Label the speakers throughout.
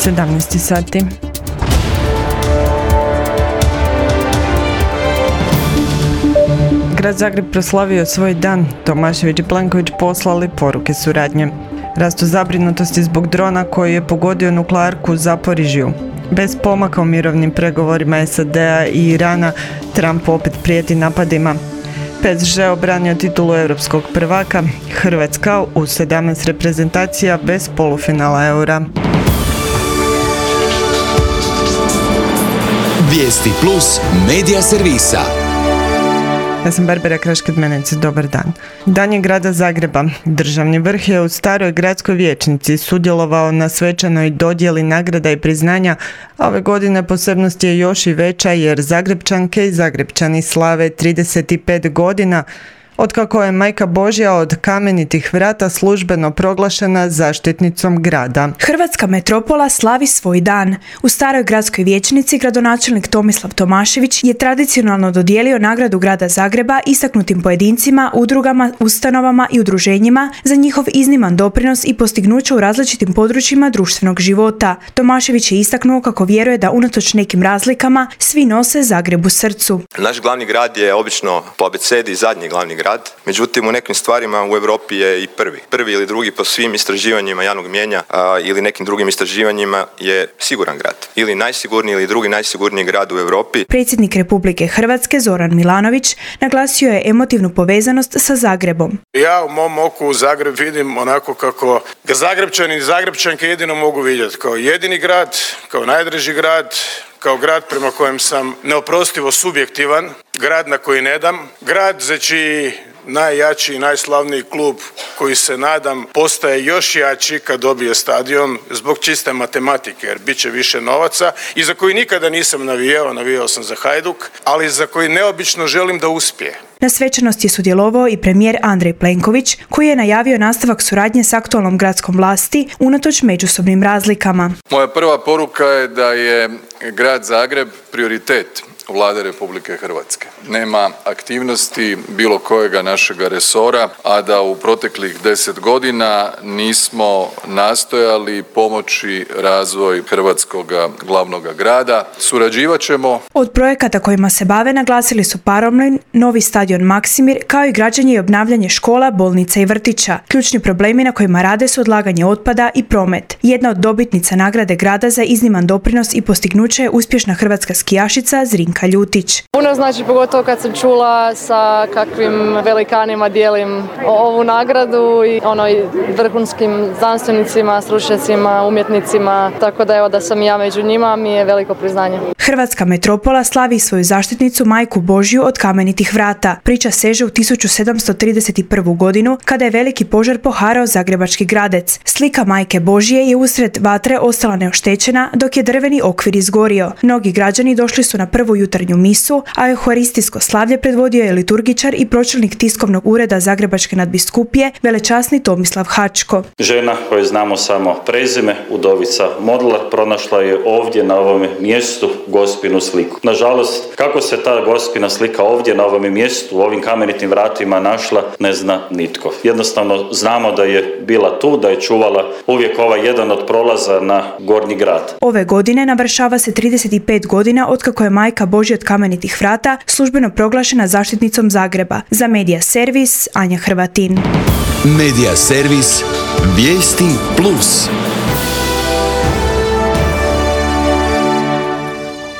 Speaker 1: 17 sati. Grad Zagreb proslavio svoj dan. Tomašević i Plenković poslali poruke suradnje. Rastu zabrinutosti zbog drona koji je pogodio nuklearku u Zaporižju. Bez pomaka u mirovnim pregovorima SAD-a i Irana, Trump opet prijeti napadima. PSG obranio titulu europskog prvaka, Hrvatska u 17 reprezentacija bez polufinala Eura.
Speaker 2: Vijesti plus medija servisa.
Speaker 1: Ja sam Barbara Krašked-Menec, dobar dan. Dan je grada Zagreba. Državni vrh je u staroj gradskoj vijećnici sudjelovao na svečanoj dodjeli nagrada i priznanja, a ove godine posebnost je još i veća jer Zagrepčanke i Zagrepčani slave 35 godina otkako je Majka Božja od Kamenitih vrata službeno proglašena zaštitnicom grada.
Speaker 3: Hrvatska metropola slavi svoj dan. U staroj gradskoj vijećnici gradonačelnik Tomislav Tomašević je tradicionalno dodijelio nagradu grada Zagreba istaknutim pojedincima, udrugama, ustanovama i udruženjima za njihov izniman doprinos i postignuća u različitim područjima društvenog života. Tomašević je istaknuo kako vjeruje da unatoč nekim razlikama svi nose Zagreb u srcu.
Speaker 4: Naš glavni grad je obično po abecedi zadnji glavni grad. Međutim, u nekim stvarima u Europi je i prvi ili drugi po svim istraživanjima javnog mnijenja ili nekim drugim istraživanjima je siguran grad. Ili najsigurniji ili drugi najsigurniji grad u Europi.
Speaker 3: Predsjednik Republike Hrvatske Zoran Milanović naglasio je emotivnu povezanost sa Zagrebom.
Speaker 5: Ja u mom oku Zagreb vidim onako kako ga Zagrepčani i Zagrepčanke jedino mogu vidjeti. Kao jedini grad, kao najdraži grad, kao grad prema kojem sam neoprostivo subjektivan, grad na koji ne dam, grad za čiji najjači i najslavniji klub koji se nadam postaje još jači kad dobije stadion zbog čiste matematike jer bit će više novaca i za koji nikada nisam navijao sam za Hajduk, ali za koji neobično želim da uspije.
Speaker 3: Na svečanosti je sudjelovao i premijer Andrej Plenković koji je najavio nastavak suradnje s aktualnom gradskom vlasti unatoč međusobnim razlikama.
Speaker 6: Moja prva poruka je da je grad Zagreb prioritet Vlade Republike Hrvatske. Nema aktivnosti bilo kojega našega resora, a da u proteklih 10 godina nismo nastojali pomoći razvoj hrvatskog glavnog grada. Surađivat ćemo.
Speaker 3: Od projekata kojima se bave naglasili su paromlin, novi stadion Maksimir, kao i građenje i obnavljanje škola, bolnica i vrtića. Ključni problemi na kojima rade su odlaganje otpada i promet. Jedna od dobitnica nagrade grada za izniman doprinos i postignuće je uspješna hrvatska skijašica Zrinka Ljutić.
Speaker 7: Puno znači pogotovo kad sam čula sa kakvim velikanima dijelim ovu nagradu i vrhunskim znanstvenicima, stručnjacima, umjetnicima, tako da evo da sam ja među njima mi je veliko priznanje.
Speaker 3: Hrvatska metropola slavi svoju zaštitnicu Majku Božju od Kamenitih vrata. Priča seže u 1731. godinu kada je veliki požar poharao Zagrebački Gradec. Slika Majke Božje je usred vatre ostala neoštećena dok je drveni okvir izgorio. Mnogi građani došli su na prvu jutarnju misu, a euharistijsko slavlje predvodio je liturgičar i pročelnik tiskovnog ureda Zagrebačke nadbiskupije velečasni Tomislav Hačko.
Speaker 8: Žena koju znamo samo prezime, udovica Modlar, pronašla je ovdje na ovom mjestu gospinu sliku. Nažalost, kako se ta gospina slika ovdje na ovom mjestu, u ovim Kamenitim vratima našla, ne zna nitko. Jednostavno znamo da je bila tu, da je čuvala uvijek jedan od prolaza na Gornji grad.
Speaker 3: Ove godine navršava se 35 godina otkako je Majka Božja od Kamenitih vrata službeno proglašena zaštitnicom Zagreba. Za Medija servis Anja Hrvatin.
Speaker 2: Medija servis Vijesti plus.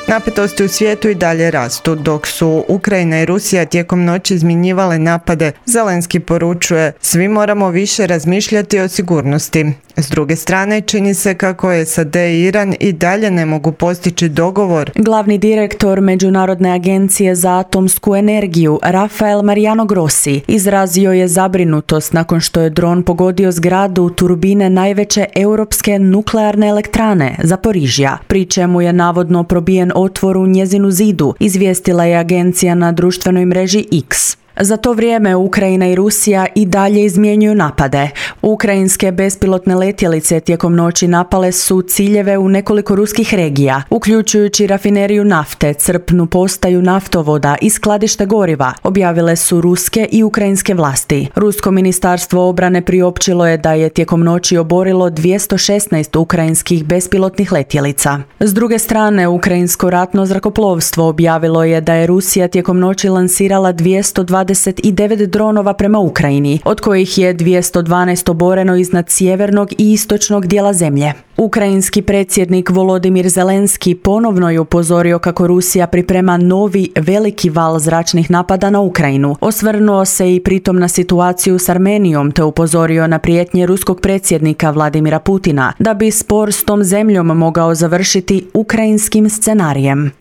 Speaker 1: Napetosti u svijetu i dalje rastu, dok su Ukrajina i Rusija tijekom noći izmjenjivale napade. Zelenski poručuje, svi moramo više razmišljati o sigurnosti. S druge strane, čini se kako SAD i Iran i dalje ne mogu postići dogovor.
Speaker 9: Glavni direktor Međunarodne agencije za atomsku energiju, Rafael Mariano Grossi, izrazio je zabrinutost nakon što je dron pogodio zgradu turbine najveće europske nuklearne elektrane, Zaporižja, pri čemu je navodno probijen otvor u njezinu zidu, izvijestila je agencija na društvenoj mreži X. Za to vrijeme Ukrajina i Rusija i dalje izmjenjuju napade. Ukrajinske bespilotne letjelice tijekom noći napale su ciljeve u nekoliko ruskih regija, uključujući rafineriju nafte, crpnu postaju naftovoda i skladište goriva, objavile su ruske i ukrajinske vlasti. Rusko ministarstvo obrane priopćilo je da je tijekom noći oborilo 216 ukrajinskih bespilotnih letjelica. S druge strane, ukrajinsko ratno zrakoplovstvo objavilo je da je Rusija tijekom noći lansirala 229 dronova prema Ukrajini, od kojih je 212 oboreno iznad sjevernog i istočnog dijela zemlje. Ukrajinski predsjednik Volodimir Zelenski ponovno je upozorio kako Rusija priprema novi veliki val zračnih napada na Ukrajinu. Osvrnuo se i pritom na situaciju s Armenijom te upozorio na prijetnje ruskog predsjednika Vladimira Putina da bi spor s tom zemljom mogao završiti ukrajinskim scenarijem.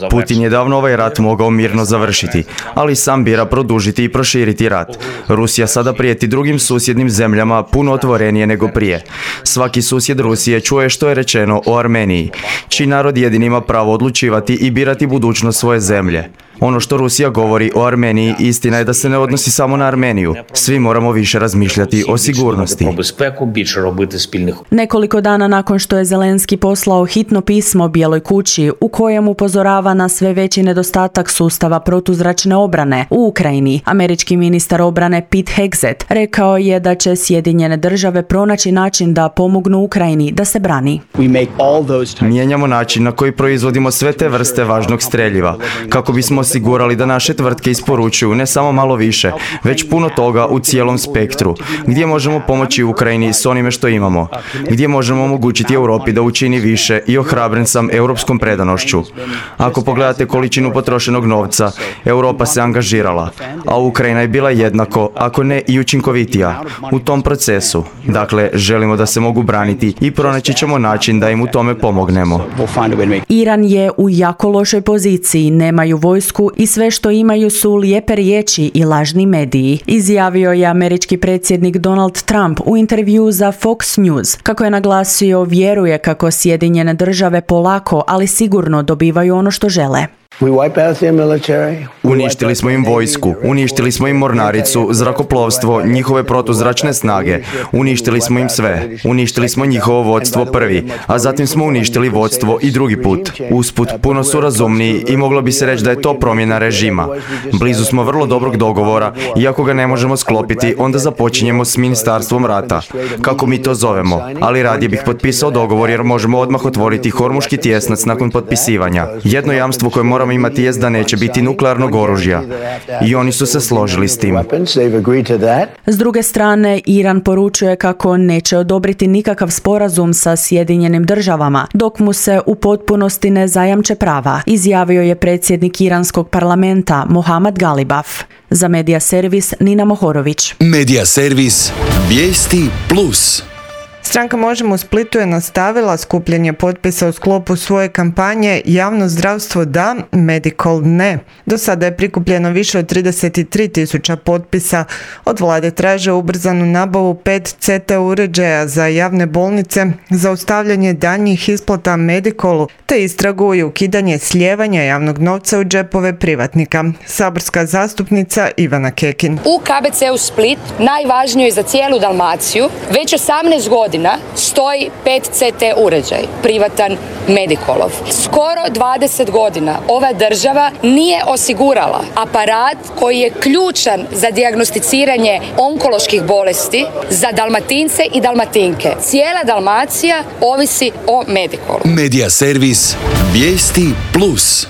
Speaker 10: Putin je davno ovaj rat mogao mirno završiti, ali sam bira produžiti i proširiti rat. Rusija sada prijeti drugim susjednim zemljama puno otvorenije nego prije. Svaki susjed Rusije čuje što je rečeno o Armeniji, čiji narod jedini ima pravo odlučivati i birati budućnost svoje zemlje. Ono što Rusija govori o Armeniji, istina je da se ne odnosi samo na Armeniju. Svi moramo više razmišljati o sigurnosti.
Speaker 9: Nekoliko dana nakon što je Zelenski poslao hitno pismo Bijeloj kući u kojem upozorava na sve veći nedostatak sustava protuzračne obrane u Ukrajini, američki ministar obrane Pete Hegseth rekao je da će Sjedinjene države pronaći način da pomognu Ukrajini da se brani.
Speaker 10: Mijenjamo način na koji proizvodimo sve te vrste važnog streljiva, kako bismo osigurali da naše tvrtke isporučuju ne samo malo više, već puno toga u cijelom spektru, gdje možemo pomoći Ukrajini s onime što imamo, gdje možemo omogućiti Europi da učini više i ohrabren sam europskom predanošću. Ako pogledate količinu potrošenog novca, Europa se angažirala, a Ukrajina je bila jednako, ako ne i učinkovitija, u tom procesu. Dakle, želimo da se mogu braniti i pronaći ćemo način da im u tome pomognemo.
Speaker 9: Iran je u jako lošoj poziciji, nemaju vojsku i sve što imaju su lijepe riječi i lažni mediji, izjavio je američki predsjednik Donald Trump u intervjuu za Fox News. Kako je naglasio, vjeruje kako Sjedinjene države polako, ali sigurno dobivaju ono što žele.
Speaker 10: Uništili smo im vojsku, uništili smo im mornaricu, zrakoplovstvo, njihove protuzračne snage, uništili smo im sve, uništili smo njihovo vodstvo prvi, a zatim smo uništili vodstvo i drugi put. Usput, puno su razumniji i moglo bi se reći da je to promjena režima. Blizu smo vrlo dobrog dogovora i ako ga ne možemo sklopiti, onda započinjemo s ministarstvom rata, kako mi to zovemo, ali radije bih potpisao dogovor jer možemo odmah otvoriti Hormuški tjesnac nakon potpisivanja. Jedno jamstvo koje moramo imati jest da neće biti nuklearnog oružja. I oni su se složili s tim.
Speaker 9: S druge strane, Iran poručuje kako neće odobriti nikakav sporazum sa Sjedinjenim državama, dok mu se u potpunosti ne zajamče prava, izjavio je predsjednik iranskog parlamenta Mohammad Galibaf. Za Media Servis Nina Mohorović.
Speaker 2: Media Servis Vijesti Plus.
Speaker 1: Stranka Možemo u Splitu je nastavila skupljanje potpisa u sklopu svoje kampanje Javno zdravstvo da, Medical ne. Do sada je prikupljeno više od 33.000 potpisa. Od vlade traže ubrzanu nabavu 5 CT uređaja za javne bolnice, zaustavljanje daljnjih isplata Medicalu, te istragu i ukidanje slijevanja javnog novca u džepove privatnika. Saborska zastupnica Ivana Kekin.
Speaker 11: U KBC-u Split, najvažnijoj za cijelu Dalmaciju, već 18 godina stoji 5 CT uređaj, privatan Medicalov. Skoro 20 godina ova država nije osigurala aparat koji je ključan za dijagnosticiranje onkoloških bolesti za Dalmatince i Dalmatinke. Cijela Dalmacija ovisi o Medicalu.
Speaker 2: Media Servis Vijesti Plus.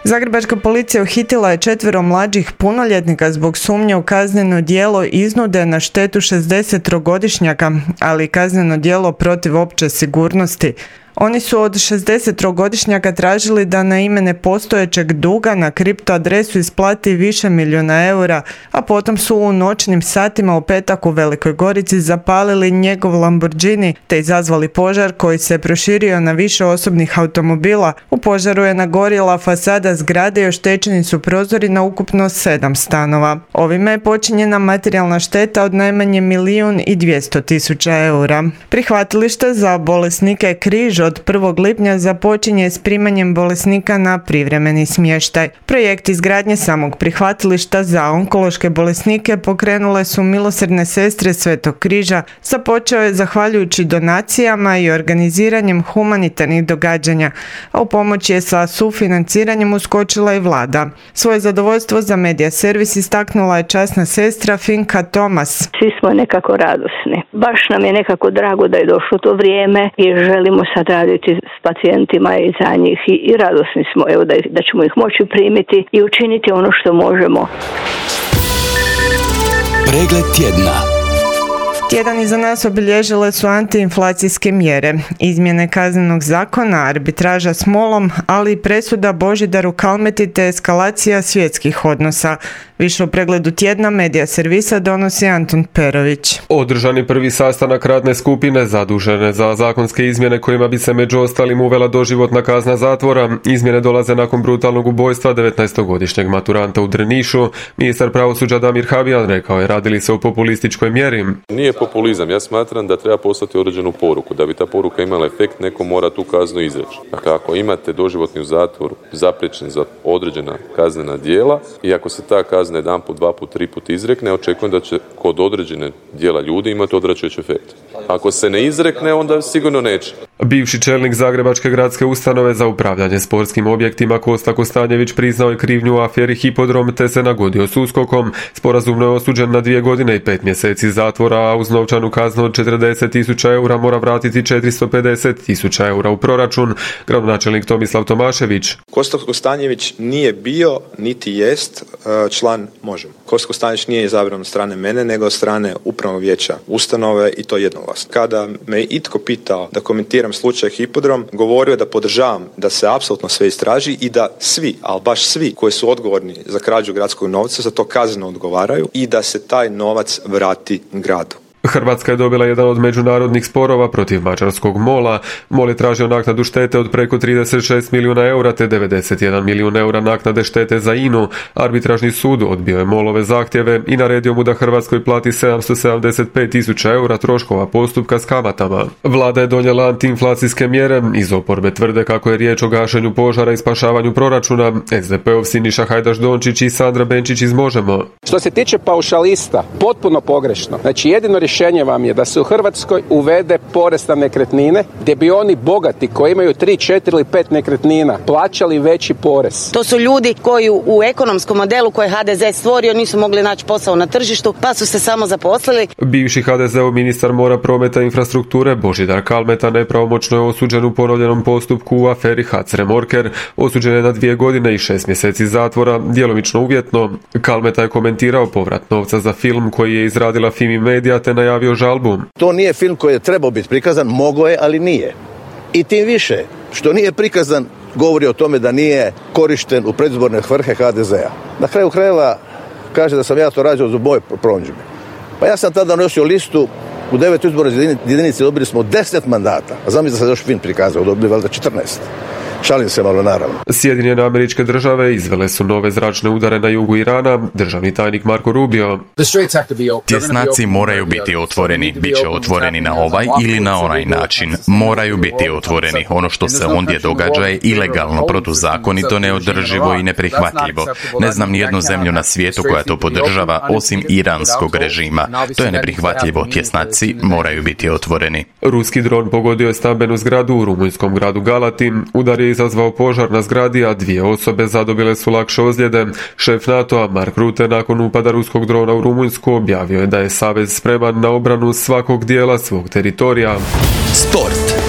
Speaker 1: Zagrebačka policija uhitila je 4 mlađih punoljetnika zbog sumnje u kazneno djelo iznude na štetu 60-godišnjaka, ali i kazneno djelo protiv opće sigurnosti. Oni su od 60-godišnjaka tražili da na ime nepostojećeg duga na kripto adresu isplati više milijuna eura, a potom su u noćnim satima u petak u Velikoj Gorici zapalili njegov Lamborghini te izazvali požar koji se proširio na više osobnih automobila. U požaru je nagorjela fasada zgrade i oštećeni su prozori na ukupno 7 stanova. Ovime je počinjena materijalna šteta od najmanje 1.200.000 eura. Prihvatilište za bolesnike Križ Križa od 1. lipnja započinje s primanjem bolesnika na privremeni smještaj. Projekt izgradnje samog prihvatilišta za onkološke bolesnike pokrenule su milosrdne sestre Svetog Križa. Započeo je zahvaljujući donacijama i organiziranjem humanitarnih događanja, a u pomoć je sa sufinanciranjem uskočila i vlada. Svoje zadovoljstvo za Medija servis istaknula je časna sestra Finka Tomas.
Speaker 12: Svi smo nekako radosni. Baš nam je nekako drago da je došlo to vrijeme i želimo sad raditi s pacijentima i za njih i radosni smo da ćemo ih moći primiti i učiniti ono što možemo.
Speaker 2: Pregled tjedna.
Speaker 1: Tjedan iza nas obilježile su antiinflacijske mjere, izmjene kaznenog zakona, arbitraža s MOL-om, ali i presuda Božidaru Kalmeti te eskalacija svjetskih odnosa. Više u pregledu tjedna Medija servisa donosi Antun Perović.
Speaker 13: Održani prvi sastanak radne skupine zadužene za zakonske izmjene kojima bi se među ostalim uvela doživotna kazna zatvora. Izmjene dolaze nakon brutalnog ubojstva 19-godišnjeg maturanta u Drnišu. Ministar pravosuđa Damir Habijan rekao je radili se o populističkoj mjeri.
Speaker 14: Nije populizam, ja smatram da treba poslati određenu poruku. Da bi ta poruka imala efekt, neko mora tu kaznu izreći. Dakle, ako imate doživotni u zatvoru zapriječen za određena kaznena djela i ako se ta kazna jedan put, dva put, tri put izrekne, očekujem da će kod određene dijela ljudi imati odvraćajući efekt. Ako se ne izrekne, onda sigurno neće.
Speaker 13: Bivši čelnik Zagrebačke gradske ustanove za upravljanje sportskim objektima Kosta Kostanjević priznao je krivnju u aferi Hipodrom te se nagodio s USKOK-om. Sporazumno je osuđen na 2 godine i 5 mjeseci zatvora, a uz novčanu kaznu od 40.000 eura mora vratiti 450.000 eura u proračun. Gradonačelnik Tomislav Tomašević.
Speaker 4: Kosta Kostanjević nije bio, niti jest član Možemo. Kosta Kostanjević nije izabran od strane mene, nego od strane upravnog vijeća ustanove i to jednoglasno. Kada me itko pitao da komentiram slučaj Hipodrom, govorio da podržavam da se apsolutno sve istraži i da svi, ali baš svi koji su odgovorni za krađu gradskog novca za to kazneno odgovaraju i da se taj novac vrati gradu.
Speaker 13: Hrvatska je dobila jedan od međunarodnih sporova protiv mađarskog MOL-a. MOL je tražio naknadu štete od preko 36 milijuna eura te 91 milijun eura naknade štete za INA-u. Arbitražni sud odbio je MOL-ove zahtjeve i naredio mu da Hrvatskoj plati 775.000 eura troškova postupka s kamatama. Vlada je donijela antiinflacijske mjere. Iz oporbe tvrde kako je riječ o gašenju požara i spašavanju proračuna. SDP-ov Siniša Hajdaš Dončić i Sandra Benčić iz Možemo.
Speaker 15: Što se tiče paušalista, potpuno pogrešno. Znači jedino rješenje vam je da se u Hrvatskoj uvede porez na nekretnine, gdje bi oni bogati koji imaju 3, 4 ili 5 nekretnina plaćali veći porez.
Speaker 16: To su ljudi koji u ekonomskom modelu koji HDZ stvorio nisu mogli naći posao na tržištu, pa su se samo zaposlili.
Speaker 13: Bivši HDZ-ov ministar mora, prometa i infrastrukture Božidar Kalmeta nepravomoćno je osuđen u ponovljenom postupku u aferi HAC Remorker. Osuđen je na 2 godine i 6 mjeseci zatvora, djelomično uvjetno. Kalmeta je komentirao povrat novca za film koji je izradila Fimi Media te najavio žalbu.
Speaker 17: To nije film koji je trebao biti prikazan, mogao je, ali nije. I tim više, što nije prikazan, govori o tome da nije korišten u predizborne svrhe HDZ-a. Na kraju krajeva kaže da sam ja to radio za moje promidžbe. Pa ja sam tada nosio listu, u 9 izbornoj jedinici dobili smo 10 mandata, a zamislite da se još film prikazao, dobili valjda 14. Šalim se malo, naravno.
Speaker 13: Sjedinjene Američke Države izvele su nove zračne udare na jugu Irana, državni tajnik Marko Rubio.
Speaker 18: Tjesnaci moraju biti otvoreni, bit će otvoreni na ovaj ili na onaj način. Moraju biti otvoreni. Ono što se ondje događa je ilegalno, protuzakonito, neodrživo i neprihvatljivo. Ne znam nijednu zemlju na svijetu koja to podržava, osim iranskog režima. To je neprihvatljivo. Tjesnaci moraju biti otvoreni.
Speaker 13: Ruski dron pogodio je stambenu zgradu u rumunjskom gradu Galati. Udar je izazvao požar na zgradi, a 2 osobe zadobile su lakše ozljede. Šef NATO-a Mark Rutte nakon upada ruskog drona u Rumunjsku objavio je da je savez spreman na obranu svakog dijela svog teritorija.
Speaker 2: Sport.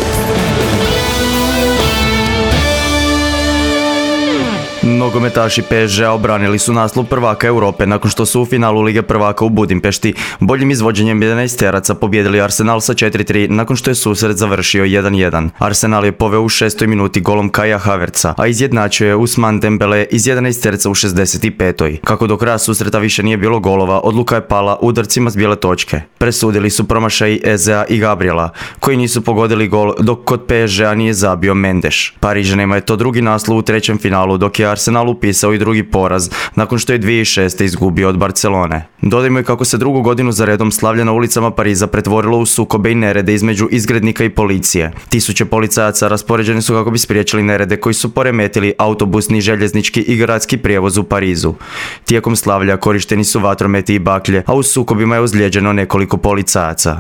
Speaker 10: Nogometaši PSG-a obranili su naslov prvaka Europe nakon što su u finalu Lige prvaka u Budimpešti boljim izvođenjem 11-teraca pobijedili Arsenal sa 4-3 nakon što je susret završio 1-1. Arsenal je poveo u 6. minuti golom Kaja Havertza, a izjednačio je Ousmane Dembele iz 11-terca u 65. Kako do kraja susreta više nije bilo golova, odluka je pala udarcima s bijele točke. Presudili su promašaji Ezea i Gabriela, koji nisu pogodili gol, dok kod PSG-a nije zabio Mendes. Parižanima je to drugi naslov u trećem finalu, dok je Arsenal Arsenalu upisao i drugi poraz, nakon što je 2006. izgubio od Barcelone. Dodajmo i kako se drugu godinu za redom slavlje na ulicama Pariza pretvorilo u sukobe i nerede između izgrednika i policije. Tisuće policajaca raspoređeni su kako bi spriječili nerede koji su poremetili autobusni, željeznički i gradski prijevoz u Parizu. Tijekom slavlja korišteni su vatrometi i baklje, a u sukobima je ozlijeđeno nekoliko policajaca.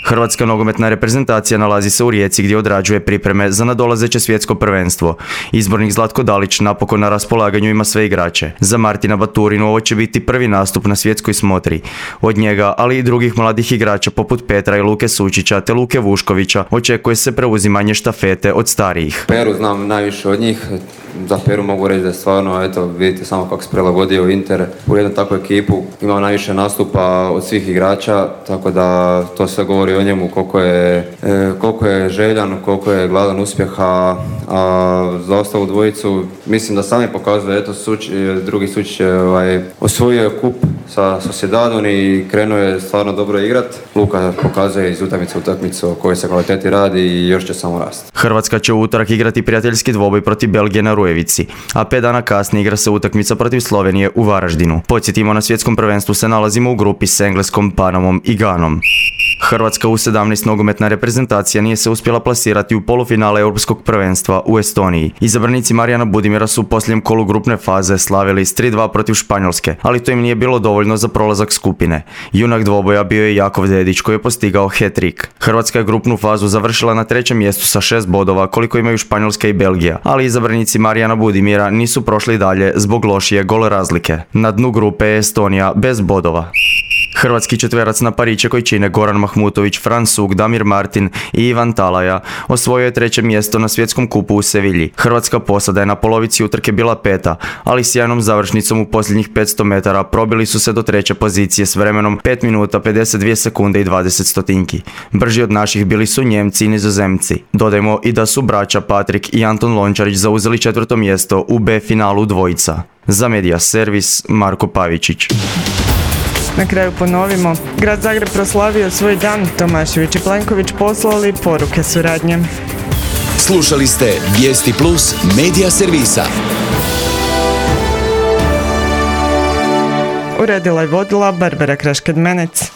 Speaker 10: Hrvatska nogometna reprezentacija nalazi se u Rijeci gdje odrađuje pripreme za nadolazeće svjetsko prvenstvo. Izbornik Zlatko Dalić napokon na raspolaganju ima sve igrače. Za Martina Baturinu ovo će biti prvi nastup na svjetskoj smotri. Od njega, ali i drugih mladih igrača poput Petra i Luke Sučića te Luke Vuškovića, očekuje se preuzimanje štafete od starijih.
Speaker 19: Peru znam najviše od njih. Za Peru mogu reći da je stvarno, eto, vidite samo kako se prilagodio Inter u jednu takvu ekipu. Imao najviše nastupa od svih igrača, tako da to sve govori o njemu koliko je željan, koliko je gladan uspjeha. A za ostalu dvojicu mislim da sami pokazuje, eto, drugi Sučić je osvojio kup sa Sociedadom i krenuo je stvarno dobro igrat. Luka pokazuje iz utakmice u utakmicu o kojoj se kvaliteti radi i još će samo rasti.
Speaker 10: Hrvatska će u utorak igrati prijateljski dvoboj protiv Belgije na Rujevici, a 5 dana kasnije igra se utakmica protiv Slovenije u Varaždinu. Podsjetimo, na svjetskom prvenstvu se nalazimo u grupi s Engleskom, Panamom i Ganom. Hrvatska U17 nogometna reprezentacija nije se uspjela plasirati u polufinale Europskog prvenstva u Estoniji. Izabranici Marijana Budimira su u posljednjem kolu grupne faze slavili s 3-2 protiv Španjolske, ali to im nije bilo dovoljno za prolazak skupine. Junak dvoboja bio je Jakov Dedić koji je postigao hat-trick. Hrvatska je grupnu fazu završila na 3. mjestu sa 6 bodova koliko imaju Španjolska i Belgija, ali izabranici Marijana Budimira nisu prošli dalje zbog lošije gol razlike. Na dnu grupe je Estonija bez bodova. Hrvatski četverac na pariće koji čine Goran Mahmutović, Fran Suk, Damir Martin i Ivan Talaja osvojio je 3. mjesto na svjetskom kupu u Sevilji. Hrvatska posada je na polovici utrke bila 5. ali sjajnom završnicom u posljednjih 500 metara probili su se do 3. pozicije s vremenom 5 minuta 52 sekunde i 20 stotinki. Brži od naših bili su Njemci i Nizozemci. Dodajmo i da su braća Patrik i Anton Lončarić zauzeli 4. mjesto u B finalu dvojica. Za Media Servis, Marko Pavičić.
Speaker 1: Na kraju ponovimo, grad Zagreb proslavio svoj dan, Tomašević i Plenković poslali poruke suradnje.
Speaker 2: Slušali ste Vijesti Plus Media Servisa.
Speaker 1: Uredila i vodila Barbara Krašked-Menec.